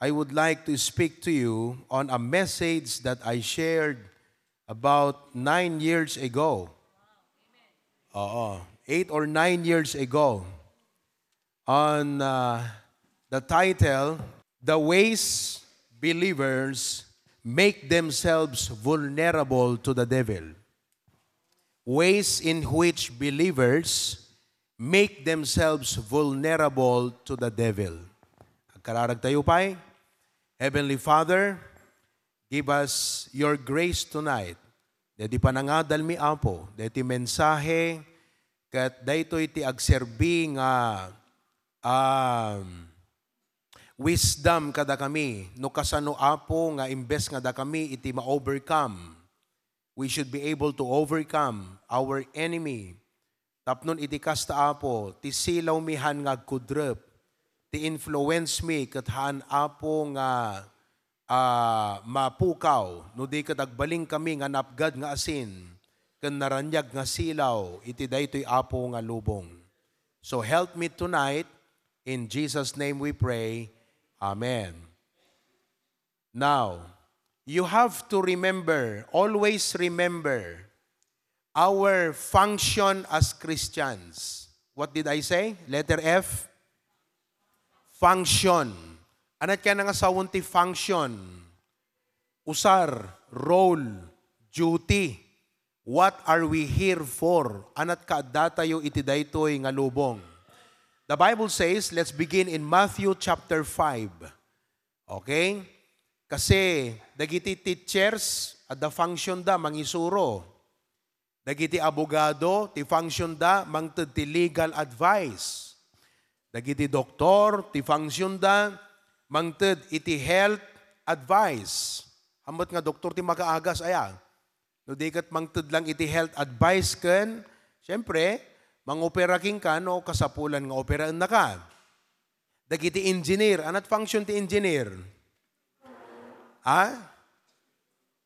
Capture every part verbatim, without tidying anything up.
I would like to speak to you on a message that I shared about nine years ago. Oo, eight or nine years ago. On, uh, the title, The Ways Believers Make Themselves Vulnerable to the Devil. Ways in which believers make themselves vulnerable to the devil. Agkararag tayo pay. Heavenly Father, give us your grace tonight. Deti panangadalmi, Apo, deti mensahe, ket daytoy ti agserbi nga, um, wisdom kadakami, no kasano, Apo, nga imbes nga dakami iti ma-overcome, we should be able to overcome our enemy. Tapnon iti kasta, Apo, ti silawmi haan nga agkudrep, ti influence mi ket haan, Apo, nga, ah, mapukaw, no di ket agbalin kami nga napgad nga asin ken naraniag nga silaw iti daytoy, Apo, nga lubong. So help me tonight. In Jesus' name we pray. Amen. Now, you have to remember, always remember, our function as Christians. What did I say? Letter F? Function. Anat kaya nga sawon ti function? Usar, role, duty. What are we here for? Anat kaaddatayo iti daytoy nga lubong? The Bible says, let's begin in Matthew chapter five. Okay? Kasi dagiti teachers, adda function da, mangisuro. Dagiti abogado, ti function da, mangted ti legal advice. Dagiti doktor, ti function da, mangted iti health advice. Hamet nga doktor ti makaagas, aya? No di ket mangted lang iti health advice ken, siyempre, mangopera kenka no kasapulan nga operaennaka. Dagiti engineer, anat function ti engineer? Ha?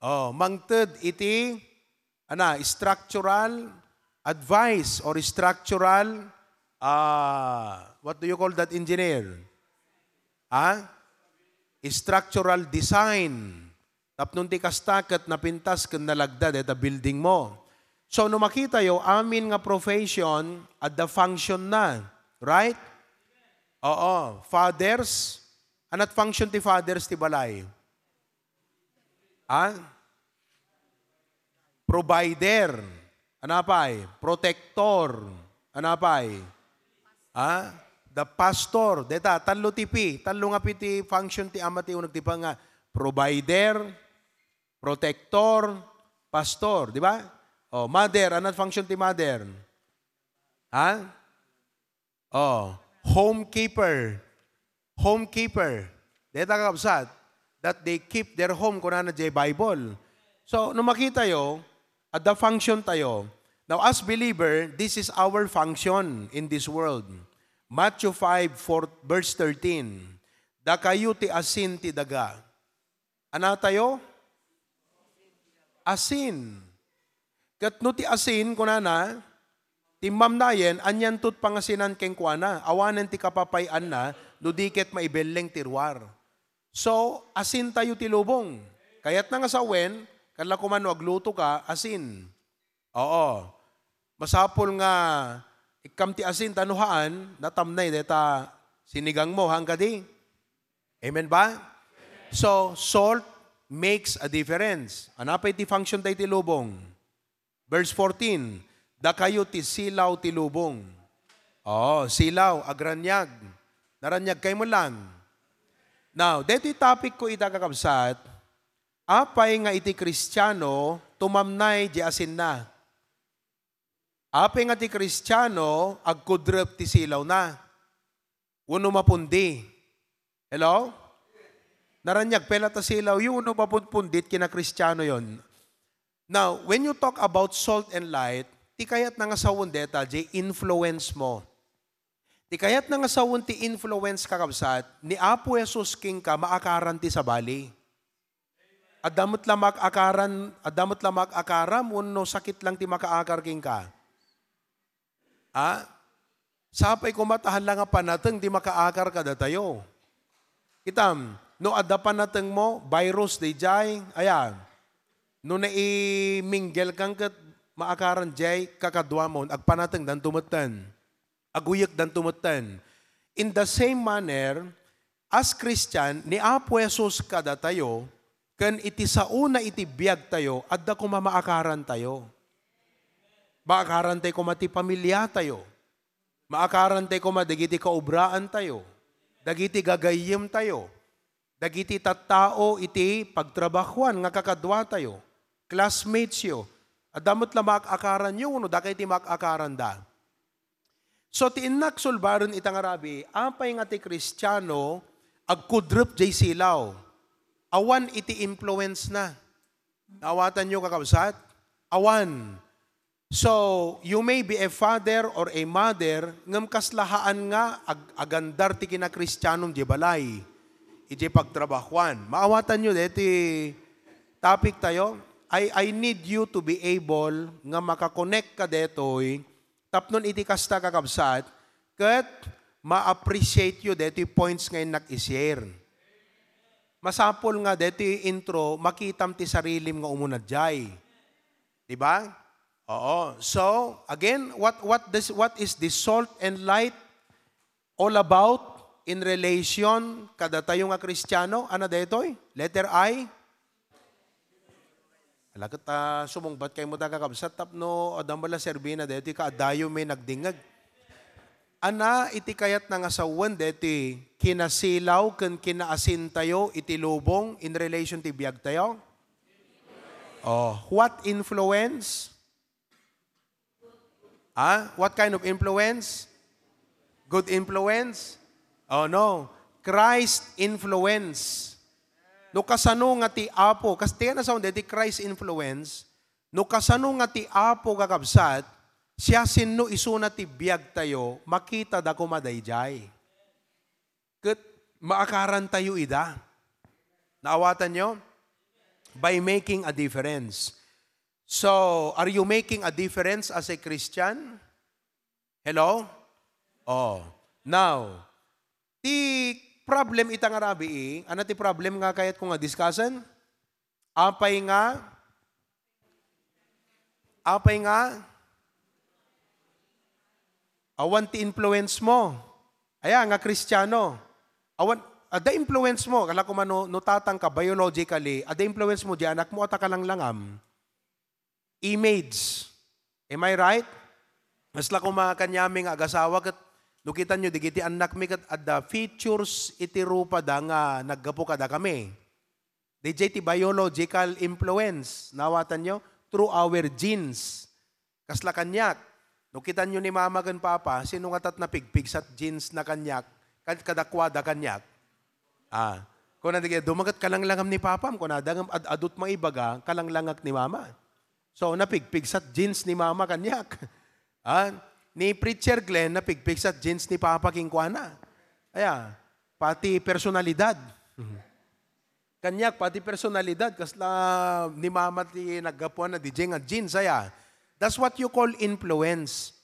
Oh, mangted iti, ana, structural advice or structural, ah, what do you call that engineer? Ha? Structural design. Tapno ti kasta ket napintas ken nalagda deta building mo. So, no makitayo, amin nga profession, adda function na. Right? Oo. Fathers, anat function ti fathers ti balay? Ha? Provider. Anapay? Protector. Anapay? Ha? The pastor. Deta, tallo ti P. Tallo nga P ti function ti ama ti uneg ti pa nga provider, protector, pastor. Di ba? O, mother. Anat function ti mother? Ha? Oh, homekeeper. Homekeeper. Deta, kakabsat, that they keep their home, kunana jay Bible. So, no makitayo, adda function tayo. Now, as believer, this is our function in this world. Matthew five, four, verse thirteen. Dakayo ti asin ti daga. Anatayo? Asin. Ket no ti asin, kunana, timmamnayen, anianto ti pangasinan kenkuana? Awanen ti kapapay-anna no di ket maibelleng ti ruar. So, asintayo ti lubong. Kayatna nga sawen, kalla koma no aglutoka, asin. Oo. Masapul nga ikkam ti asin, ta no haan, natamnay deta sinigang mo, haan kadi? Amen ba? So, salt makes a difference. Anapay ti function tayo ti lubong? Verse fourteen, dakayo ti silaw ti lubong. Oo, silaw, agraniag. Naraniag kay mo lang. Now, detoy topic ko ita, kakabsat, apay nga iti Kristiano, tumamnay di asinna? Apay nga ti Kristiano, agkudrep ti silawna? Wenno mapundi? Hello? Naraniag pay latta silaw, wenno mapunpundit kina Kristiano yon. Now, when you talk about salt and light, ti kayatna nga sawen deta, jay influence mo. Ti kayatna nga sawen ti influence, kakabsat, ni Apo Jesus kenka, maakaran ti sabali. Adda met la maakaran, adda met la maakaram wenno sakit lang ti makaakar kenka? Ha? Sapay koma ta haan la nga panateng ti makaakar kadatayo. Kitam, No adda panatengmo, virus daydiay, aya. No naiminggelkan ket maakaran diay kakaduamon, agpanatengdanto metten. Aguyekdanto metten. In the same manner, as Christian, ni Apo Jesus kadatayo, ken iti saona iti biagtayo, adda koma maakarantayo. Maakarantayo koma ti pamiliatayo. Maakarantayo koma dagiti kaobraantayo, dagiti gagayyemtayo, dagiti tattao iti pagtrabahoan nga kakaduatayo, classmatesyo. Adda met la maak-akaranyo wenno dakay ti maak-akaranda. So, ti innak sulbaren ita nga rabii, apay nga ti Kristiano agkudrep jay silaw? Awan iti influence na. Naawatanyo, kakabsat? Awan. So, you may be a father or a mother, ngem kasla haan nga ag-, agandar ti kinakristianom diay balay, idiay pagtrabahoan. Maawatanyo deti topic tayo? I, I need you to be able nga makakonektka detoy tapno iti kasta, kakabsat, ket ma-appreciate yo detoy points nga innak i-share. Masapul nga detoy intro, makitam ti sarilim nga umuna diay. Di ba? Oo. So, again, what, what, this, what is the salt and light all about in relation kadatayo nga Kristiano? Ano daytoy? Letter I? Ala ket, ah, sumungbat kaymo ta, kakabsat, tapno adda met la serbina daytoy, kaadayo may nagdingeg. Ana iti kayatna nga sawen daytoy kinasilaw ken kinaasintayo iti lubong in relation ti biagtayo? Oh, what influence? Ha? What kind of influence? Good influence? Oh, no. Christ influence. No kasano nga ti Apo, kas-, ti ano sound, ti Christ influence, no kasano nga ti Apo, kakabsat, siasino isuna ti biagtayo, makitada koma daydiay. Ket maakarantayo ida. Naawatanyo? By making a difference. So, are you making a difference as a Christian? Hello? Oh. Now, ti problem ita nga rabii, ano ti problem nga kayatko nga discussen? Apay nga, apay nga, awan ti influence mo. Aya nga Kristiano. Awan, adda influence mo. Kala ko man no, no tatang ka biologically, adda influence mo diay anakmo a ta kalanglangam. Image. Am I right? Kasla koma kaniami nga agasawa ket no kitanyo dagiti annakmi ket adda features iti rupada nga naggapu kadakami. Daydiay ti biological influence, naawatanyo? Through our genes. Kasla kaniak. No kitanyo ni mama ken papa, sino nga tat napigpigsat genes na kaniak? Kad-, kadakuada kaniak? Ah, kuna dagiti, "Dumaket kalanglangam ni papam," kunada, ngem ad-adut maibaga, "Kalanglangak ni mama." So, napigpigsat genes ni mama kaniak. Ah, ni Preacher Glenn, napigpigsat genes ni papa kenkuana. Aya, pati personalidad. Kaniak, pati personalidad, kasla ni mama ti naggapuan na D J nga genes, aya. That's what you call influence.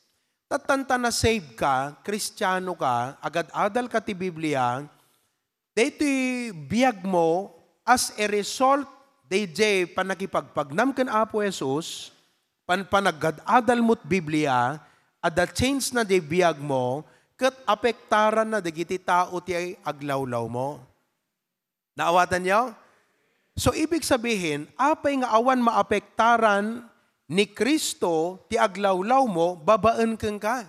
Tattan ta na-save ka, Kristiano ka, agad-adal ka ti Biblia, daytoy biag mo as a result daydiay pannakipagpagnam ken Apo Jesus, pan-, panagad-adal mo't Biblia, adda change na di biag mo, ket apektaran na dagiti tao ti aglawlaw mo. Naawatanyo? So, ibig sabihin, apay nga awan maapektaran ni Cristo ti aglawlaw mo babaen kenka?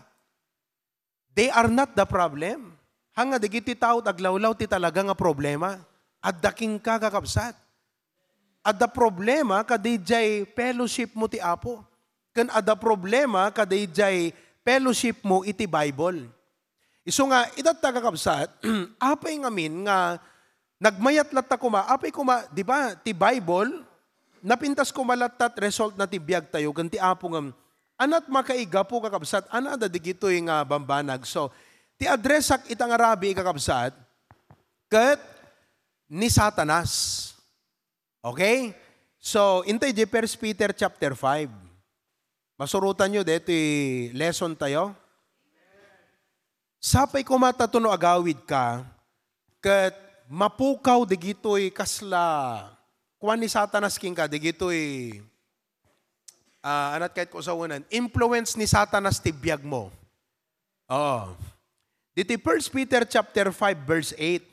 They are not the problem. Haan nga dagiti tao ti aglawlaw ti talaga nga problema. Adda kenka, kakabsat. Adda problema kadidiay fellowship mo ti Apo. Ken adda problema kadidiay fellowship mo iti Bible. Isu nga, itatta, kakabsat, apay ngamin nga nagmayat latta koma, apay koma, di ba, ti Bible, napintas koma latta ti result na ti biag tayo, ken ti Apo ngem, anat makaigapu, kakabsat, ana dagitoy nga bambanag. So, ti addressak ita nga rabii, kakabsat, ket ni Satanas. Okay? So, intay di First Peter chapter five. Masurotanyo daytoy lesson tayo. Sapay koma ta no agawid ka, ket mapukaw digitoy kasla kuan ni Satanas kenka, digitoy, ah, anat kayat ko sawenan, influence ni Satanas ti biagmo. Oo. Ditoy First Peter chapter five, verse eight.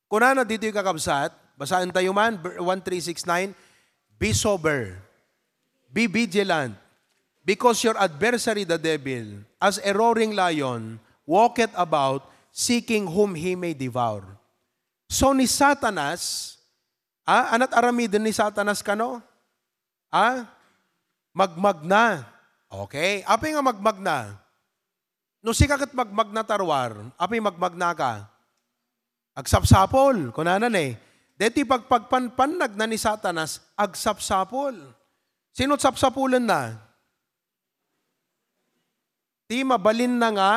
Kunana ditoy, kakabsat, basaentayo man, ver-, one, three, six, nine, "Be sober, be vigilant, because your adversary, the devil, as a roaring lion, walketh about, seeking whom he may devour." So, ni Satanas, ah, anat aramiden ni Satanas kano? Ah, magmagna. Okay. Apay nga magmagna? No sika ket magmagna ta ruar, apay magmagna ka? Agsapsapul, kunana ne. Deti pagpagpanpannag na ni Satanas, agsapsapul. Sino sapsapulen na? Ti mabalin na nga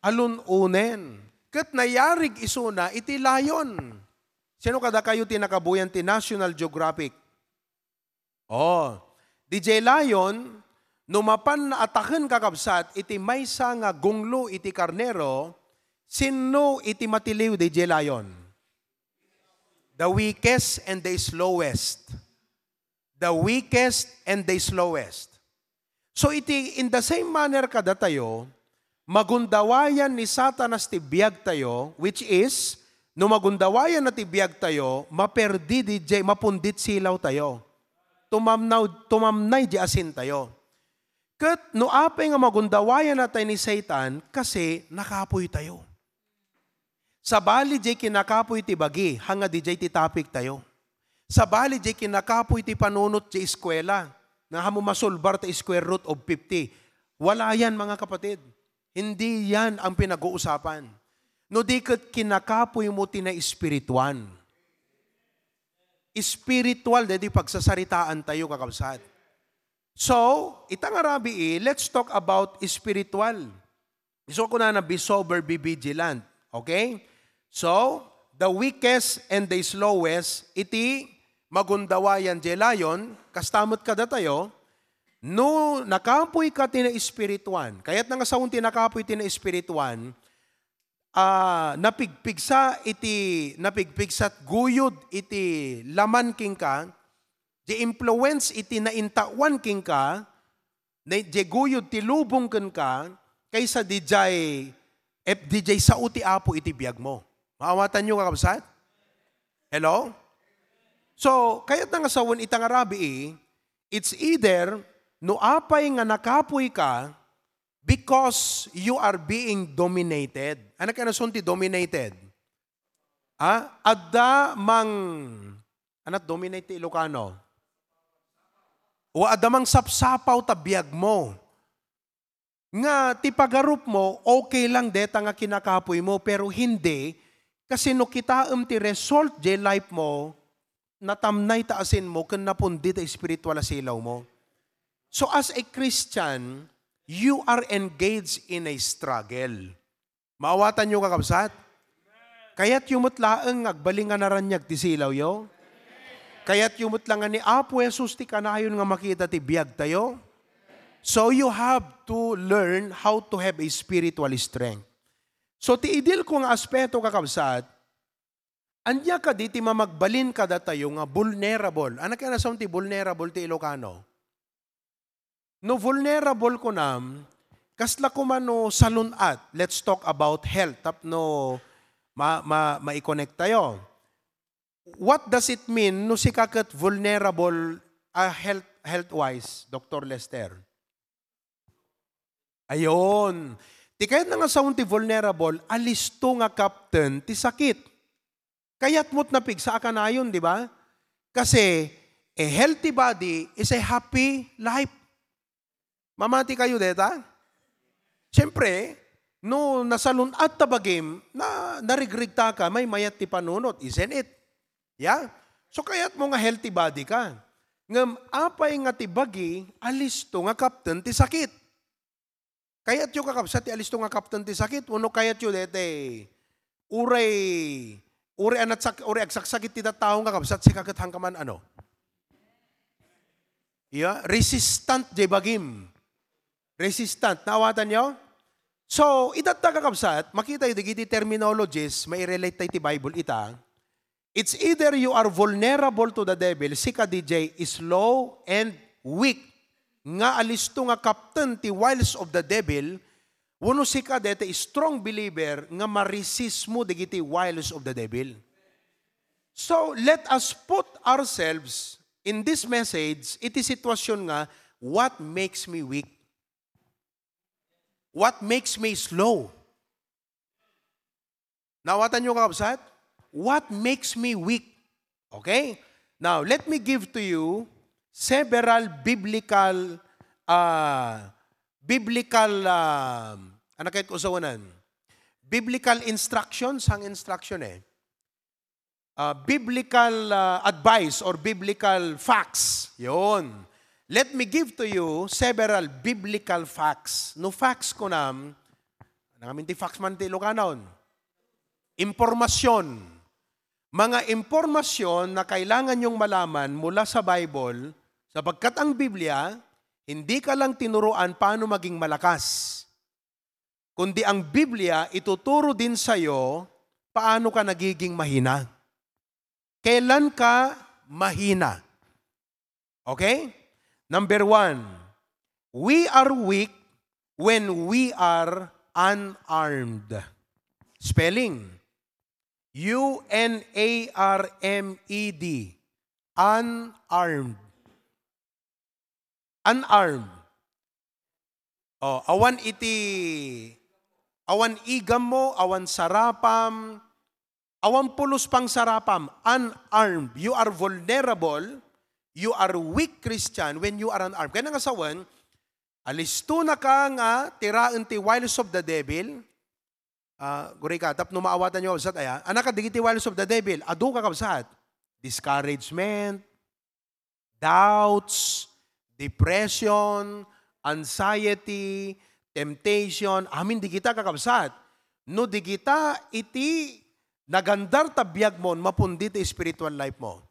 alun-unen. Ket nayarig isuna iti lion. Sino kadakayo ti nakabuyan ti National Geographic? Oh, D J Lion, no mapan ataken, kakabsat, iti maysa nga gunglo iti karnero, sinno iti matiliw, D J Lion? The weakest and the slowest. The weakest and the slowest. So iti, in the same manner kadatayo, magundawayan ni Satanas ti biagtayo, which is, no magundawayan na ti biagtayo, maperdi di jay, mapundit silawtayo. Tumamnaw, tumamnay di asintayo. Ket no apay nga magundawayan natay ni Satan, kasi nakapoytayo. Sabali jay kinakapoy ti bagi, hanga di jay ti topic tayo. Sabali jay kinakapoy ti panunot jay eskwela, nga hamo masulbar ta square root of fifty. Wala yan, mga kapatid. Hindi yan ang pinag-uusapan. No di ket kinakapoy mo ti naespirituan. Spiritual, daydi pagsasaritaan tayo, kakabsat. So, ita nga rabii, let's talk about spiritual. Isu kunana, "Be sober, be vigilant." Okay? So, the weakest and the slowest, iti magundawayan jay lion, kasta met kadatayo, no nakapoy ka ti naespirituan, kayat na nga sawen ti nakapoy ti naespirituan, ah, napigpigsa iti, napigpigsa guyod iti laman kenka, di influence iti naintawan kenka, na, di guyod ti lubong kenka, kaysa di jay, eh, di jay sao ti Apo iti biag mo. Maawatanyo, kakabsat? Hello? So, kayat na nga sawen ita nga rabii, it's either no apay nga nakapoy ka because you are being dominated. Ano kaya nasun ti dominated? Ah, adda mang, anat dominate ti Ilocano? O adda mang sapsapaw ta biag mo. Nga ti pagarup mo, okay lang deta nga kinakapoy mo, pero hindi, kasi no kitaem ti result jay life mo, natamnay ta asin mo, ken napundi ta espiritual a silaw mo. So as a Christian, you are engaged in a struggle. Maawatanyo, kakabsat? Kayatyo met laeng nga agbalin nga naraniag ti silawyo? Kayatyo met la nga ni Apo Jesus ti kanayon nga makita ti biagtayo? So you have to learn how to have a spiritual strength. So ti idil ko nga aspeto, kakabsat, ania kadi ti mamagbalin kadatayo nga vulnerable? Ano kaya nasaon ti vulnerable ti Ilocano? No vulnerable kunam, kasla koma no salun-at. Let's talk about health tapno ma-, ma-, mai-connect tayo. What does it mean no sika ket vulnerable, ah, health, health-wise, Doctor Lester? Ayon. Ti kayat na nga saon ti vulnerable, alisto nga kapten ti sakit. Kayat mo't napigsa a kanayon, di ba? Kasi, a healthy body is a happy life. Mamati kayo deta? Siyempre, no nasalun-at ta bagim, na, narigrig ta ka, may mayat ti panunot, isn't it? Yeah? So, kayat mo nga healthy body ka. Ngem apay nga ti bagi, alisto nga kapten ti sakit. Kayatyo, kakabsat, ti alisto nga kapten ti sakit? Wenno kayatyo dete, uray, uray anat sak-, uray agsaksakit ti tattao nga kabsat, sika ket hanka man, ano? Yeah, resistant jay bagim. Resistant. Naawatanyo? So, itatta, kakabsat, makita yu dagiti terminologies, mairelate tayo ti Bible ita. It's either you are vulnerable to the devil, sika D J slow and weak, nga alisto nga kapten ti wiles of the devil, wenno sika dayta strong believer nga ma-resist mo dagiti wiles of the devil. So, let us put ourselves in this message, iti sitwasyon nga, what makes me weak? What makes me slow? Naawatan niyo, kakabsat? What makes me weak? Okay? Now, let me give to you several biblical, ah, biblical, ah, ano kayo kausawanan? Biblical instructions, ang instruction eh. Ah, biblical, ah, advice or biblical facts. Yun. Let me give to you several biblical facts. No facts kunam, ano ngamin ti facts man ti Ilokanon? Impormasyon. Mga impormasyon na kailangan yung malaman mula sa Bible, sapagkat ang Biblia, hindi ka lang tinuruan paano maging malakas, kundi ang Biblia ituturo din sa'yo paano ka nagiging mahina. Kailan ka mahina? Okay? Number one, we are weak when we are unarmed. Spelling, U N A R M E D. Unarmed. Unarmed. Oh, awan iti, awan igam mo, awan sarapam, awan pulos pang sarapam, unarmed. You are vulnerable, you are weak Christian when you are unarmed. Kaya nga sawen, alisto na ka nga tiraen ti wiles of the devil. Ah, guri ka, tapno maawatan niyo, kabsat, aya. Anak, digiti wiles of the devil, adu, kakabsat. Discouragement, doubts, depression, anxiety, temptation, amin digita, kakabsat. No digita iti nagandar ta biag mo, mapundi ti spiritual life mo.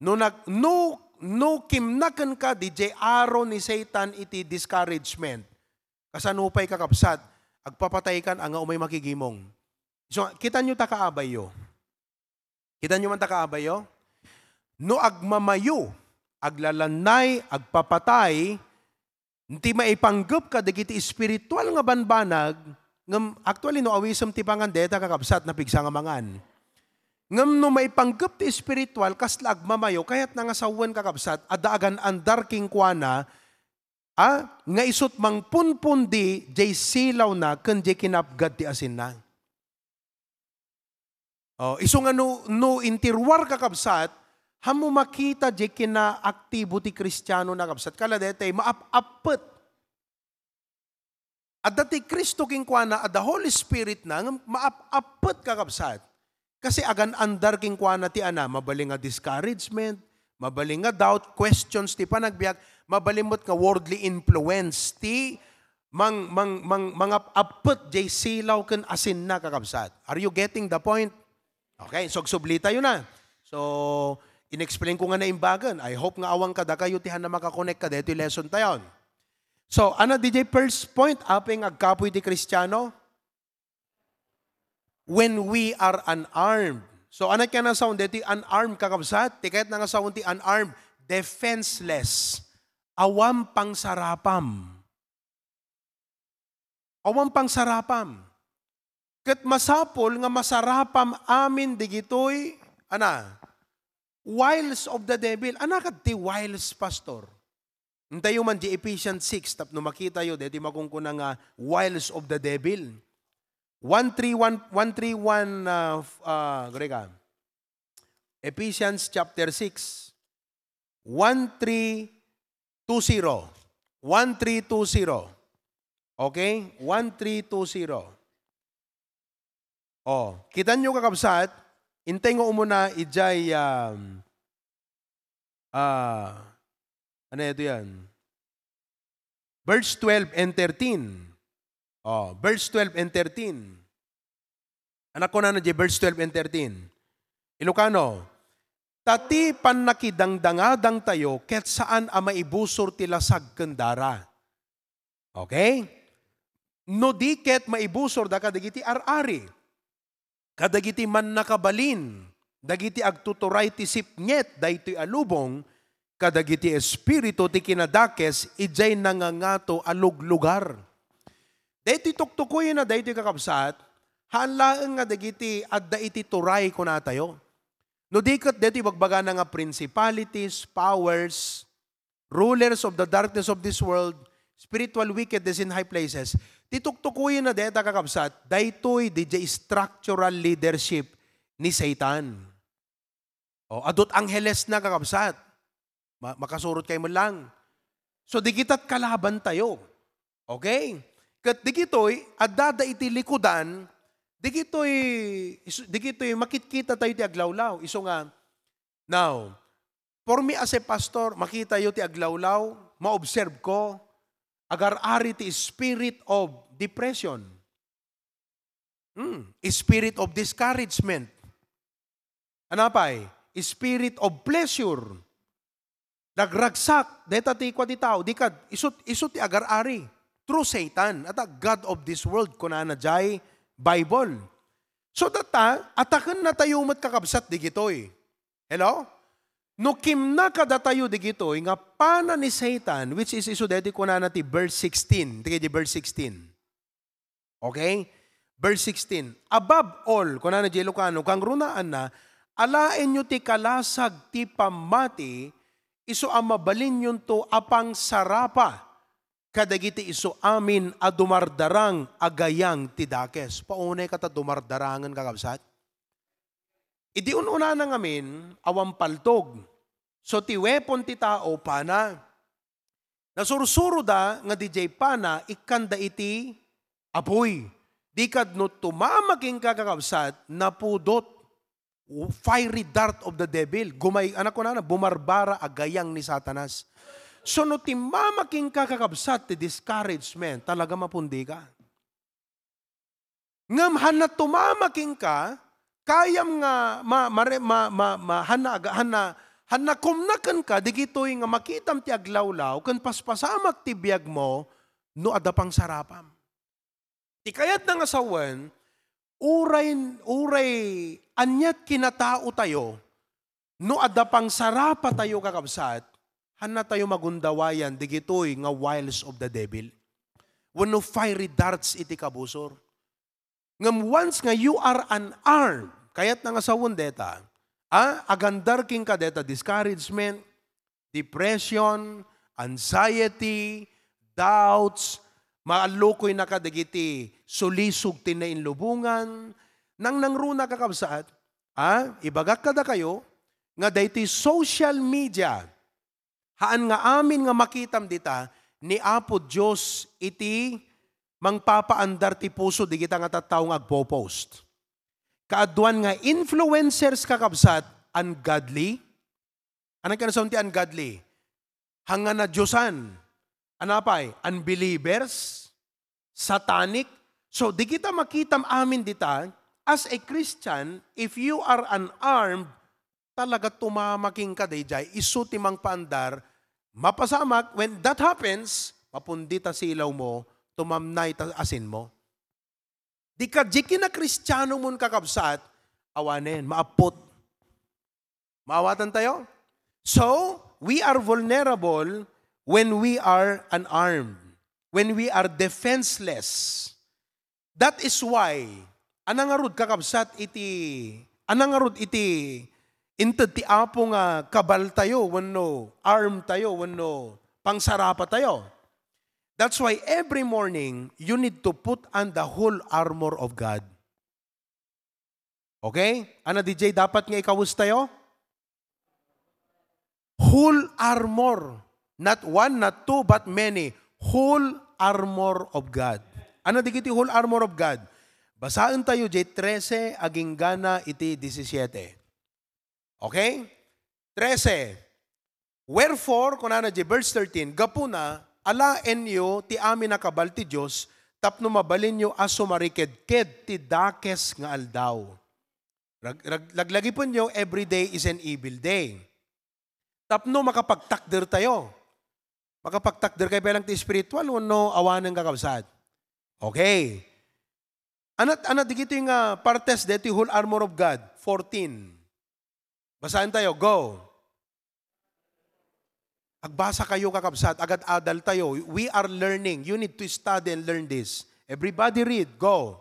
No nag-, no, no kimna kenka, D J, aro ni Satan iti discouragement. Kasano pay, kakabsat? Agpapatay kan a nga umay makigimong. So, kita nyo ta kaabayyo. Kita nyo man ta kaabayyo? No agmamayo, aglalannay, agpapatay, ti maipanggep kadagiti espiritual nga banbanag, ngem actually, no awisem ti pangan, deta, kakabsat, napigsa nga mangan. Ngem no maipanggep ti espiritual, kasla agmamayo, kayatna nga sawen, kakabsat, adda agan-andar kenkuana, a, nga isut' mangpunpundi jay silawna ken jay kinapgad ti asinna. Oh, isu nga no, no inti ruar, kakabsat, hammo makita jay kinaaktibo ti Kristiano, kakabsat. Kala detay, maap-appet. Adda ti Cristo kenkuana, adda Holy Spirit na, nga maap-appet, kakabsat. Kasi agan-andar kenkuana ti ana, mabalin nga discouragement, mabalin nga doubt, questions ti panagbiag, mabalin met nga worldly influence ti mang-, mang-, mang-, mangap-appet jay silaw ken asinna, kakabsat. Are you getting the point? Okay, so agsubli tayo na. So, inexplain ko nga naimbagan. I hope nga awan kadakayo ti hana makakonek ka detoy lesson tayon. So, ano di jay first point, apay nga agkapoy ti Kristiano? When we are unarmed. So, ano kaya nga sawen deti unarmed, kakabsat? Ti kayat na nga sawen ti unarmed, defenseless. Awan pangsarapam. Awan pangsarapam. Ket masapul nga masarapam amin digitoy, ana, wiles of the devil. Ana ket ti wiles, Pastor? Intayo man di Ephesians six, tapno makitayo, deti makunkuna nga wiles of the devil. One three one, one three one, ah, f-, ah, gure ka. Ephesians chapter six, one three two zero. One three two zero. Okay? One three two zero. Oh, kita nyo, kakabsat, intay nga umuna ijay, um, ah, ano ito yan? Verse twelve and thirteen. Oh, verse twelve and thirteen. Anak ko na na di verse twelve and thirteen. Ilocano, "Ta ti pannakidangdangadangtayo ket saan a maibusor ti lasag ken dara." Okay? no di ket maibusorda kadagiti ar-ari, kadagiti mannakabalin, dagiti agtuturay ti sipnget daytoy a lubong, kadagiti espiritu ti kinadakes idiay nangangato a luglugar. Daytoy tuktukoyenna daytoy, kakabsat, haan laeng nga dagiti adda iti turay kunatayo. No di ket daytoy ibagbagana nga principalities, powers, rulers of the darkness of this world, spiritual wickedness in high places. Ti tuktukoyenna dayta, kakabsat, daytoy didiay structural leadership ni Satan. O, adut anghelesna, kakabsat. Ma-, makasurot kayo man lang. So, digitat kalaban tayo. Okay? Ket digitoy, addada iti likudan, digitoy, is-, digitoy makitkita tayo ti aglawlaw. Isu nga, now, for me as a pastor, makita yo ti aglawlaw, ma-observe ko, agar-ari ti spirit of depression. Hmm, spirit of discouragement. Ano pay? Spirit of pleasure. Nagragsak, deta ti kua ti tao, di kad, isu, isu ti agar-ari. Through Satan, at a god of this world, kunana jay Bible. So, data, ataken na tayo met, kakabsat, digitoy. Hello? No kimna kadatayo digitoy, nga pana ni Satan, which is isu deti kunana ti verse sixteen, ti, ti verse sixteen. Okay? Verse sixteen, "Above all," kunana jay Ilocano, kangrunaanna, "alaenyo ti kalasag ti pammati, isu a mabalinyonto a pangsarapa kadagiti isu amin a dumardarang a gayang ti dakes." Paunay ka ta dumardarangen, kakabsat? Idi un-unana ngamin, awan paltog. So, ti weapon ti tao, pana. Nasursuroda nga didiay pana, ikkanda iti apuy. Di kad no tumama kenka, kakabsat, napudot. Fiery dart of the devil. Gumay-, anak ko na, bumarbara a gayang ni Satanas. So, no timmama kenka, kakabsat, ti discouragement, talaga mapundi ka. Ngem hanna tumama kenka, kayam nga ma-, mare-, ma-, ma-, ma-, hanna aga-, hanna, hanna kumna kenka, digitoy nga makitam ti aglawlaw, ken paspasamak ti biagmo, no adda pangsarapam. Ti kayatna nga sawen, uray, uray aniat kinatao tayo, no adda pangsarapa tayo, kakabsat, hanna tayo magundawayan digitoy nga wiles of the devil. Wenno fiery darts iti kabusor. Ngem once nga you are unarmed, kayatna nga sawen deta, a, agandar kenka deta discouragement, depression, anxiety, doubts, maallukoynaka dagiti sulisog ti nainlubongan. Nangnangruna, kakabsat, a, ibagak kadakayo nga daytoy social media, haan nga amin nga makitam dita, ni Apo Dios iti mangpapaandar ti puso digita nga tattao nga agpo-post. Kaaduan nga influencers, kakabsat, ungodly. Ano ken sawen ti ungodly? Hangan a diosan. Ano pay? Unbelievers, satanic. So, di kita makitam amin dita, as a Christian, if you are unarmed, talaga tumama kenka dayjay, isu ti mangpaandar, mapasamak, when that happens, mapundi ta silaw mo, tumamnay ta asin mo. Di ka, di kina Kristiano mon, kakabsat, awanen, maappot. Maawatan tayo? So, we are vulnerable when we are unarmed, when we are defenseless. That is why, anang ngarud, kakabsat, iti, anang ngarud iti inted ti Apo nga kabal tayo, wenno arm tayo, wenno pangsarapa tayo. That's why every morning, you need to put on the whole armor of God. Okay? Ano, D J, dapat nga ikawes tayo? Whole armor. Not one, not two, but many. Whole armor of God. Ano digiti whole armor of God? Basaen tayo, J trese, aginggana iti disisiete. Okay? Trese. Wherefore, kunana di verse thirteen, gapuna, alaenyo ti amin a kabal ti Dios tapno mabalinyo a sumarikidkid ti dakes nga aldaw. Rag-, rag-, laglagipenyo, every day is an evil day. Tapno makapagtakder tayo. Makapagtakder kayo pa lang ti spiritual, wenno awanen, kakabsat? Okay. Anat, anat digitoy nga partes detoy whole armor of God? Fourteen. Basaen tayo. Go. Agbasa kayo, kakabsat. Agad-adal tayo. We are learning. You need to study and learn this. Everybody read. Go.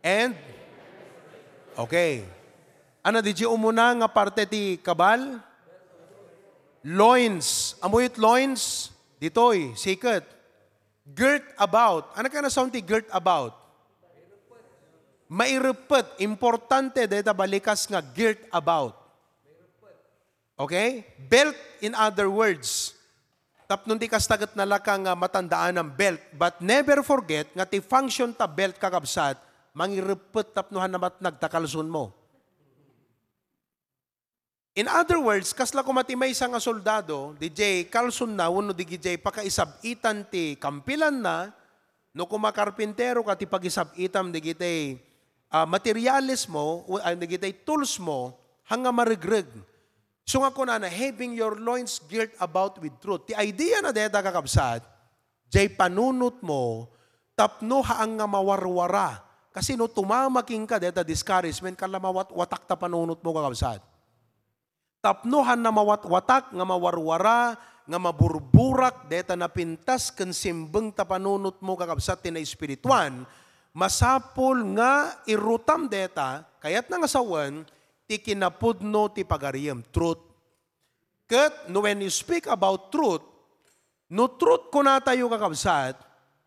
And, okay. Ano, di umuna nga parte ti kabal? Loins. Ammo it loins? Ditoy, siket. Girt about. Ano ka na sound ti girt about? Maireppet. Importante deta balikas nga girt about. Okay? Belt, in other words. Tapno di kasta ket nalaka nga matandaan ang belt. But never forget nga ti function ta belt, kakabsat, mangireppet tapno han namatnag ta kalsonmo. In other words, kasla koma ti maysa nga soldado, di jay kalsonna wenno di jay pakaisab-itan ti kampilanna, no koma karpintero ka ti pagisab-itam digitay, ah, materialesmo, o, ah, digitay toolsmo, hanga maregreg. So nga kunana, "Having your loins girt about with truth." Ti idea na deta, kakabsat, jay panunotmo, tapno haan nga mawarwara. Kasi no tumama kenka deta discouragement, kasla mawat-watak ta panunotmo, kakabsat. Tapno han na mawatwatak nga mawarwara, nga maburburak, deta napintas ken simbeng ta panunotmo, kakabsat, ti naespirituan, masapul nga irutam deta, kayatna nga sawen, ti kinapudno ti pagariyem, truth. Ket no when you speak about truth, no truth kunatayo, kakabsat,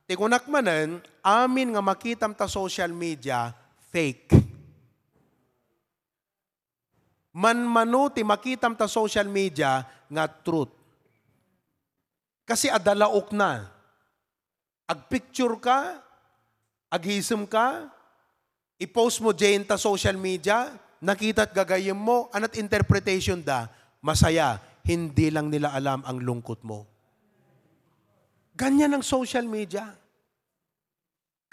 ti kunak manen, amin nga makitam ta social media, fake. Manmano ti makitam ta social media nga truth. Kasi adda laokna. Agpicture ka, agisem ka, i-post mo diyan ta social media, nakitat gagayyem mo, anat interpretation da, masaya, hindi lang nila alam ang lungkot mo. Ganyan ang social media.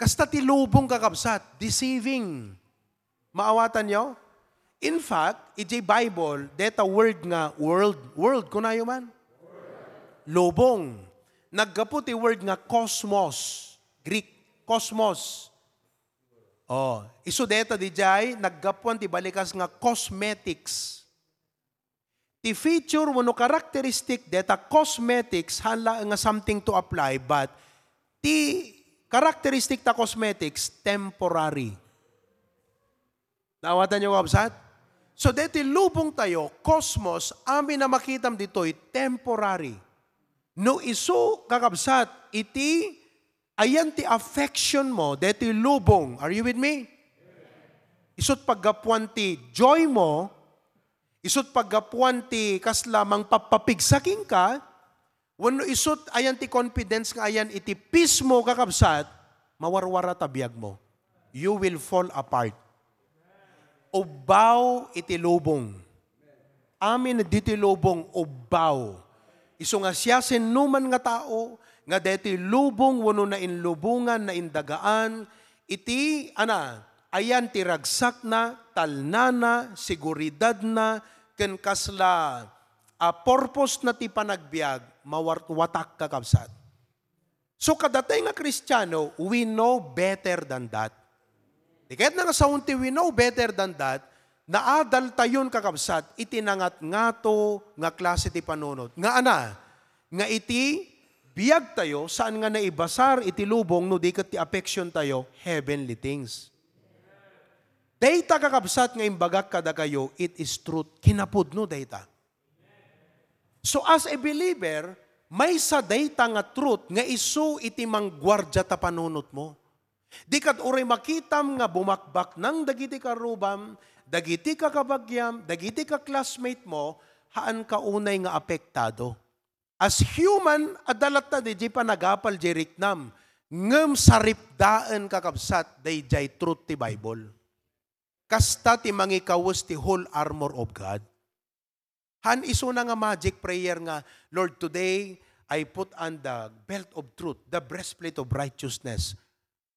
Kasta ti lubong, kakabsat, deceiving. Maawatan nyo? In fact, iti Bible, deta word nga world, world, kunayo man? Lubong. Naggapu ti word nga cosmos, Greek, cosmos. Oh, isu deta dijay, naggapuan ti balikas nga cosmetics. Ti feature wenno characteristic deta cosmetics, haan laeng nga something to apply, but ti characteristic ta cosmetics, temporary. Naawatan nyo, kabsat? So, deti lubong tayo, cosmos, amin a makitam ditoy, temporary. No isu, kakabsat, iti ayan ti affection mo, deti lubong. Are you with me? Isut paggapuan ti joy mo, isut paggapuan ti kasla mangpappapigsa kenka, wenno isut ayan ti confidence nga ayan iti peace mo, kakabsat, mawarwara ta biag mo. You will fall apart. Ubbaw iti lubong. Amin ditoy lubong, ubbaw. Isu nga siasinoman nga tao, nga detoy lubong wenno nainlubongan, naindagaan, iti, ana, ayan ti ragsakna, talnana, seguridadna, ken kasla, a purpose na ti panagbiag, mawartwatak, kakabsat. So, kadatay nga Kristiano, we know better than that. Di kayat na nga saon ti we know better than that, naadal tayon, kakabsat, iti nangatngato nga klase ti panunot. Nga ana, nga iti biag tayo, saan nga naibasar iti lubong no di ket ti affection tayo, heavenly things. Dayta, kakabsat, nga imbagak kadakayo, it is truth. Kinapudno dayta. So, as a believer, maysa dayta nga truth nga isu iti mangguardia ta panunotmo. Di kad uray makitam nga bumakbaknang dagiti karrubam, dagiti kakabagiam, dagiti ka-classmate mo, haanka unay nga apektado. As human, adda latta diay panagapal diay riknam, ngem saripdaen, kakabsat, daydiay truth ti Bible. Kasta ti mangikawes ti whole armor of God. Haan isuna nga magic prayer nga, "Lord, today, I put on the belt of truth, the breastplate of righteousness."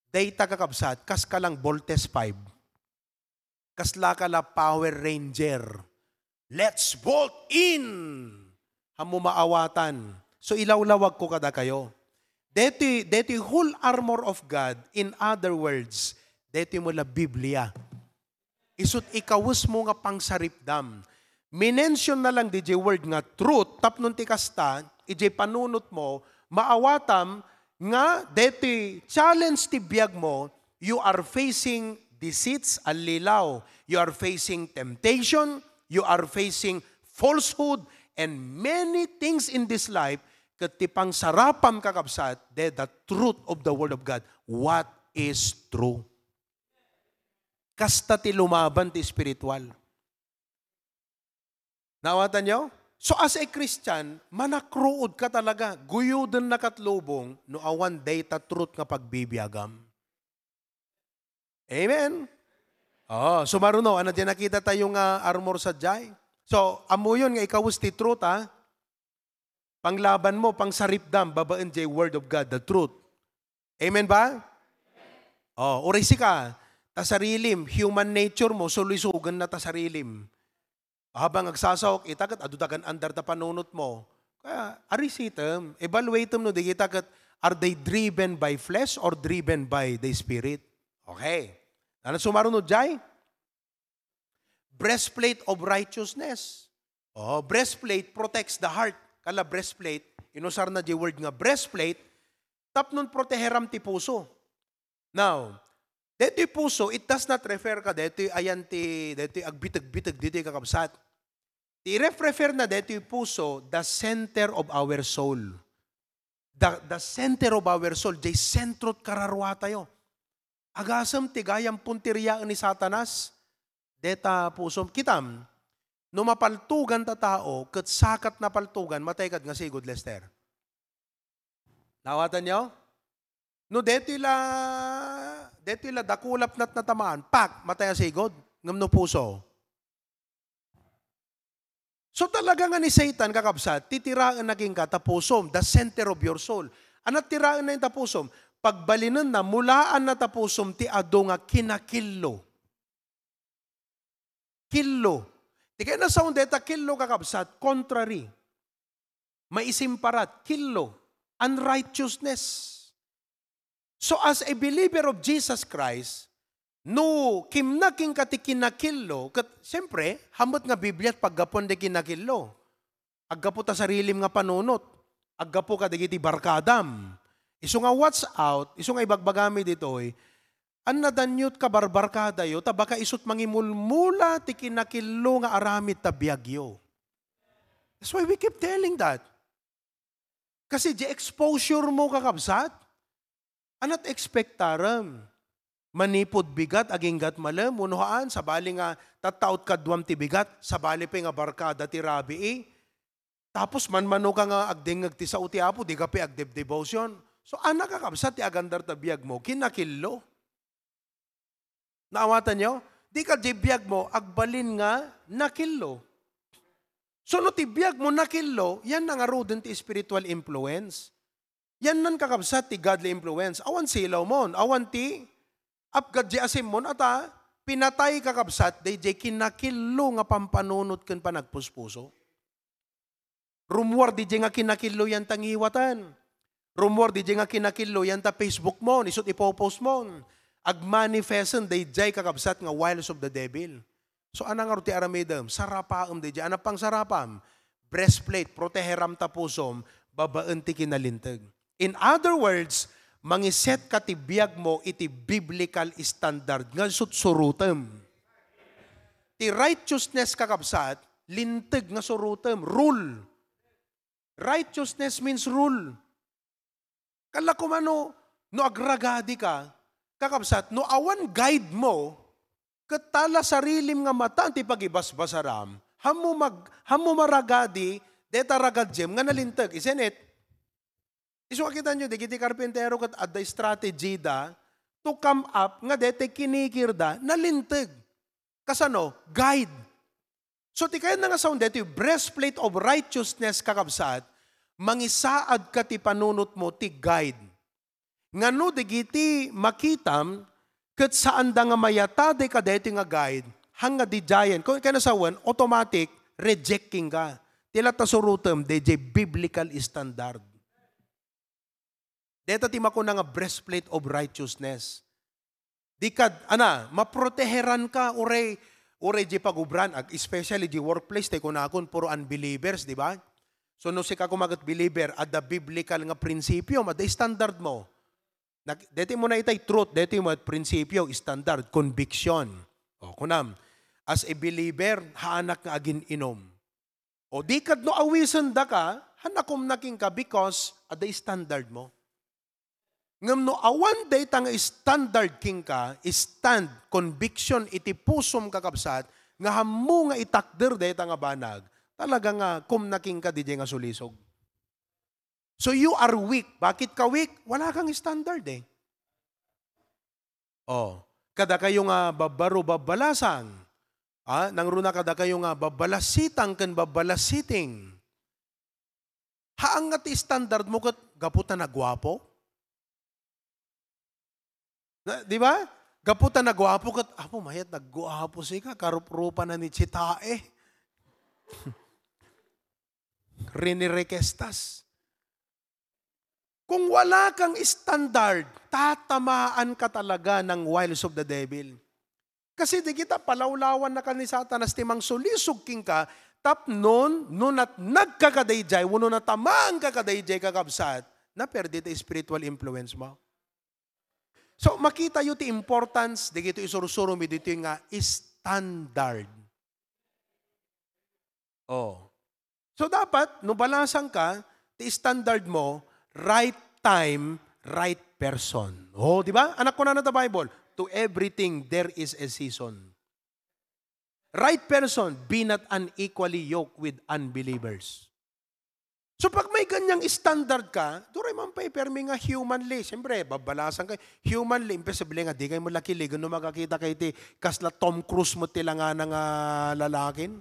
Dayta, kakabsat, kas ka lang Voltes five. Kasla ka la Power Ranger. Let's bolt in! Haanmo maawatan. So, ilawlawagko kadakayo. Deti, deti whole armor of God, in other words, deti mo la Biblia. Isut' ikawes mo nga pangsaripdam. Minention na lang di jay word nga truth, tapno ti kasta, ijay panunot mo, maawatam nga deti challenge ti biag mo, you are facing deceits, allilaw. You are facing temptation, you are facing falsehood, and many things in this life, ket ti pangsarapam, kakabsat, the, the truth of the Word of God, what is true. Kasta ti lumaban ti espiritual. Naawatan yo? So, as a Christian, manakruod ka talaga. Guyuden na kat lubong no awan dayta truth nga pagbibiagam. Amen? Oh, sumaruno, ano di nakita tayo nga armor sa jay? So, amuyon nga ikawes ti truth, ha? Panglaban mo, pangsaripdam, babaen jay word of God, the truth. Amen ba? Oh, uray sika, ta sarilim, human nature mo, sulisugan na ta sarilim. Habang agsasaok, ita ket adu ta kan andar ta panunot mo. Kaya, arisitem, evaluatem no di kita ket, are they driven by flesh or driven by the Spirit? Okay. Ano sumaruno jay? Breastplate of righteousness. Oh, breastplate protects the heart. Kala breastplate, inusar na di word nga breastplate, tapnon proteheram ti puso. Now, detoy puso, it does not refer ka detoy ayan ti, detoy agbiteg-biteg ditoy kakabsat. Ti ref-, refer na detoy puso, the center of our soul. The, the center of our soul, jay sentro ti kararua tayo. Agasem ti gayam punteriaen ni Satanas. Deta pusom. Kitam, no mapaltugan ta tao, ket sakat napaltugan, matay kad nga sigud, Lester. Nawatan yo? No detoy la, detoy la dakulap nat natamaan, pak, matay a sigud. Ngem no puso. So talaga nga ni Satan, kakabsat, titiraen na kenka ta pusom, the center of your soul. Anat tiraen na ta pusom? Pagbalinenna, mulaan na ta pusom ti adu nga kinakillo. Killo. Ti kayat na saon deta killo, kakabsat, contrary. Maisimparat, killo. Unrighteousness. So, as a believer of Jesus Christ, no kimna kenka ti kinakillo, ket, siyempre, hammet nga Biblia ti paggapuan ti kinakillo. Aggapu ta sarilim nga panunot. Aggapu kadagiti barkadam. Isu nga watch out, isu nga ibagbagami ditoy, annadanyot kabarbarkadayo, ta baka isut mangimulmula ti kinakillo nga aramid ta biagyo. That's why we keep telling that. Kasi di exposure mo, kakabsat, anat expectarem? Manipud bigat, aginggat malem, wenno haan, sabali nga tattaot kaduam ti bigat, sabali pay nga barkada ti rabii. Tapos manmano ka nga agdengngeg ti sao ti Apo, di ka pay agdebdebosion. So, ana, kakabsat, ti agandar ta biag mo, kinakillo. Naawatan yo? Di ka di biag mo, agbalin nga nakillo. So, no ti biag mo nakillo, yan na ngaruden ti spiritual influence. Yan nan, kakabsat, ti godly influence. Awan silaw mon, awan ti apgad di asim mon, ata, pinatay, kakabsat, dayjay kinakillo nga pampanunot ken panagpuspuso. Rummuar di di nga kinakillo yan ta ngiwaten. Rummuar di di nga kinakillo yan ta Facebook mon, isut ipopost mon. Agmanifesten dayjay, kakabsat, nga wiles of the devil. So, ana ngarud ti aramidem? Sarapaem dayjay. Ana pangsarapam? Breastplate, proteheram ta pusom, babaen ti kinalinteg. In other words, mangiset ka ti biag mo iti biblical standard nga sutsurutem. Ti righteousness, kakabsat, linteg nga surutem, rule. Righteousness means rule. Kala kumano, no agragadi ka, kakabsat, no awan guide mo, ket tala sarilim nga mata ti pagibasbasaram, hammo mag-, hammo maragadi, deta ragadiem nga nalinteg, isn't it? Isu a kitanyo, dagiti karpintero ket adda strategy da to come up nga deta kinikirda, nalinteg. Kasano? Guide. So, ti kayatna nga saon daytoy breastplate of righteousness, kakabsat, mangisaad ka ti panunot mo ti guide. Nga no dagiti makitam, ket saanda nga mayatadi kadaytoy nga guide, haan nga didiayen, kung kanasawen, automatic, rejecting ka. Ti latta surotem, dayjay biblical standard. Deta ti makuna nga breastplate of righteousness. Di kad, ana, maproteheran ka, uray, uray di pagubran, ag-, especially di workplace, tay kunakon, puro unbelievers, di ba? So, no sika koma ket believer, adda biblical nga prinsipyo, adda standard mo. Nag-, deti mo na itay truth, deti mo at prinsipyo, standard, conviction. O, kunam, as a believer, haanak nga agin-inom. O di kad no awisen daka, han akum na kenka because adda standard mo. Ngem no awan dayta nga standard kenka, stand, conviction iti pusom, kakabsat, nga hammo nga itakder dayta nga banag, talaga nga kum na kenka didiay nga sulisog. So you are weak. Bakit ka weak? Wala kang standard eh. Oh, kadakayo nga babbaro babbalasang. Ah, nangruna kadakayo nga babbalasitang ken babbalasiting. Haang nga ti standard mo ket gapu ta naguapo? Na, di ba? Gapu ta naguapo ket, "Apo, mayat naguapo sika, karuprupa na ni Chitae." Rinirekestas. Kung wala kang standard, tatamaan ka talaga ng wiles of the devil. Kasi di kita palawlawan na ka ni Satanas ti mangsulisog kenka, tapnon, no natnag ka kadayjay, wenno natamaan ka kadayjay, kakabsat, naperdi ti spiritual influence mo. So, makita yo ti importance, dagito isursuro mi ditoy nga standard. Oh. So, dapat, no balasang ka, ti standard mo, right time, right person. Oh, di ba? Anak ko na ta Bible, "To everything there is a season." Right person, be not unequally yoked with unbelievers. So, pag may ganyang standard ka, duray man pay permi nga humanly. Siyempre, babalasan kayo. Humanly, imposible nga, di kayo malakiligan no makakita kayo ti kasla Tom Cruise mo ti langana nga lalakin.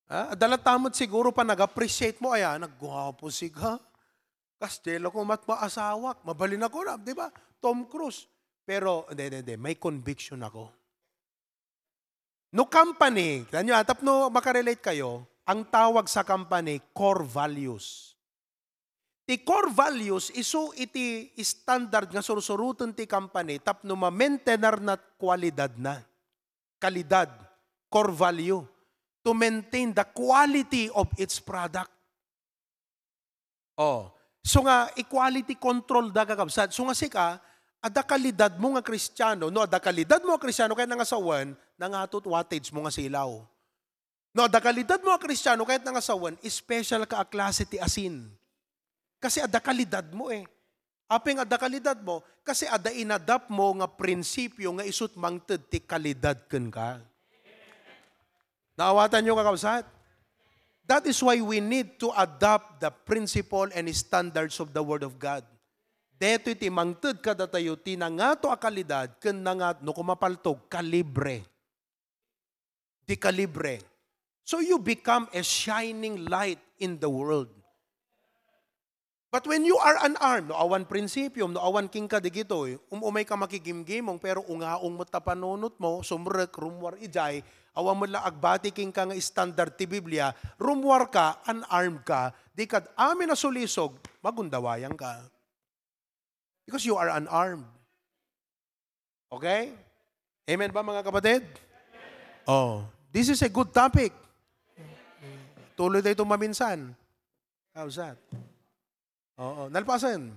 Ah, adda latta met siguro pa nag-appreciate mo, "Ay, ah, nagguwapo siga. Kastelo ko mat maasawak. Mabalin ako na, di ba? Tom Cruise." Pero, hindi, hindi, hindi. May conviction ako. No company, kanyo, ah, tapno makarelate kayo, ang tawag sa company, core values. Ti core values, isu iti standard nga sursuroten ti company tapno ma-maintainer na kwalidad na. Kalidad, core value, to maintain the quality of its product. Oh, so nga, i-quality control da, kakabsat. So nga sika, adda kalidad mo nga Kristiano. No, adda kalidad mo nga Kristiano, kaya nangasawen, nangatot wattage mo nga silaw. No, adda kalidad mo nga Kristiano, kahit nangasawen, special ka a klase ti asin. Kasi adda kalidad mo eh. Apay nga adda kalidad mo, kasi adda inadapt mo nga prinsipyo nga isut mangted ti kalidad kenka. Naawatan yo, kakabsat? That is why we need to adopt the principle and standards of the Word of God. Detoy ti mangted kadatayo ti nangato a kalidad ken nangat-, no kumapaltog, kalibre. Di kalibre. So you become a shining light in the world. But when you are unarmed, no awan prinsipyom, no awan kenka digitoy, um-umay ka makigimgimong, pero ungaong met ta panunot mo, sumrek, rummuar idiay, awan met la agbati kenka nga standard ti Biblia, rummuar ka, unarmed ka, di kad amin a sulisog, magundawayan ka. Because you are unarmed. Okay? Amen ba, mga kapatid? Oh, this is a good topic. Tuloy tayo itong maminsan. How's that? Oo, nalpasan.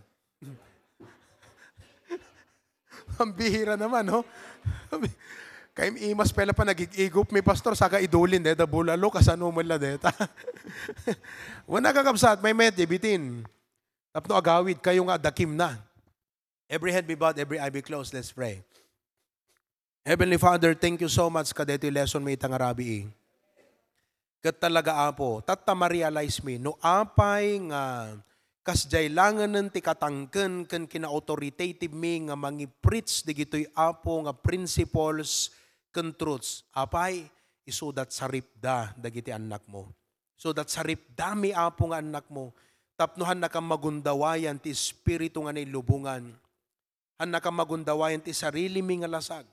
Ang bihira naman, no? Kay imas pela pa nagig-igop mi, pastor, saka idulin deta bulalo, kasano man la deta. Wana, kakabsat, may met, bitin. Tapno agawid kayo nga adakim na. Every head be bowed, every eye be closed. Let's pray. Heavenly Father, thank you so much kadetoy lesson mi ita nga rabii. Ket talaga, Apo, tatta ma-realize mi no apay nga kasdiay langenen ti katangken ken kina-authoritative mi nga mangi-preach digitoy, Apo, nga principles ken truths. Apay, isudat saripda dagiti annakmo. So that saripdami, Apo, nga annakmo, tapno hannakam magundawayan ti espiritu nga nailubongan. Hannakam magundawayan ti sarilimi nga lasag,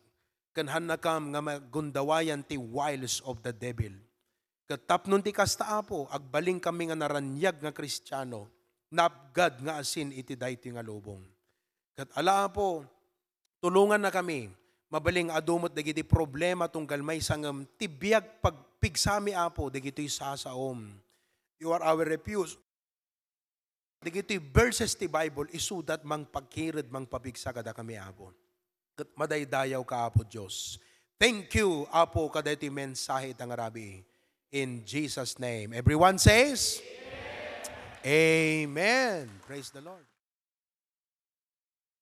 ken hannakam nga magundawayan ti wiles of the devil. Ket tapno ti kasta, Apo, agbalin kami nga naraniag nga Kristiano, naapgad nga asin iti daytoy nga lubong. Ket ala, Apo, tulonganna kami, mabalin nga adu met dagiti problema tunggal maysa ngem ti biag pagpigsami, Apo, dagitoy sasaom. You are our refuge. Dagitoy verses ti Bible, isudat mangpagkired, mangpapigsa kadakami, Apo. Ket madaydayawka, Apo Dios. Thank you, Apo, kadaytoy mensahe ita nga rabii. In Jesus' name. Everyone says, Amen. Praise the Lord.